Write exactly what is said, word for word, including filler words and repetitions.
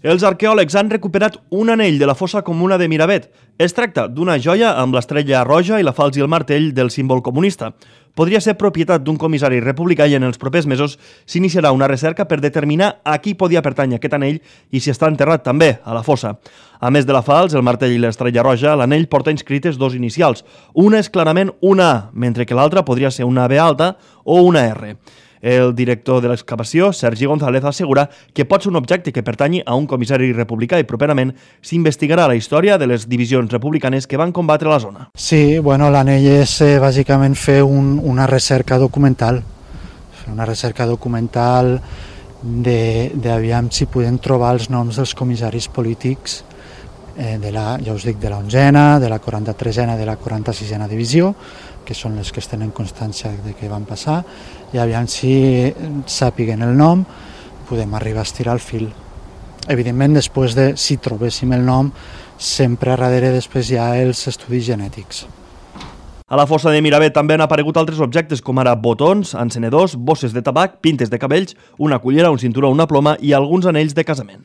Els arqueòlegs han recuperat un anell de la fossa comuna de Miravet. Es tracta d'una joia amb l'estrella roja i la falç i el martell del símbol comunista. Podria ser propietat d'un comissari republicà i en els propers mesos s'iniciarà una recerca per determinar a qui podia pertànyer aquest anell i si està enterrat també a la fossa. A més de la falç, el martell i l'estrella roja, l'anell porta inscrites dos inicials. Una és clarament una A, mentre que l'altra podria ser una B alta o una R. El director de l'excavació, Sergi González, assegura que pot ser un objecte que pertanyi a un comissari republicà i properament s'investigarà la història de les divisions republicanes que van combatre la zona. Sí, bueno, l'anell és eh, bàsicament fer un, una recerca documental, fer una recerca documental de, de aviam si podem trobar els noms dels comissaris polítics eh, de la, ja us dic, de la onzena, de la quaranta-tresena, de la quaranta-sisena divisió, que són les que es tenen constància de què van passar, i aviam si sàpiguen el nom, podem arribar a estirar el fil. Evidentment, després de, si trobéssim el nom, sempre a darrere després hi ha els estudis genètics. A la fossa de Miravet també han aparegut altres objectes com ara botons, encenedors, bosses de tabac, pintes de cabells, una cullera, un cinturó, una ploma i alguns anells de casament.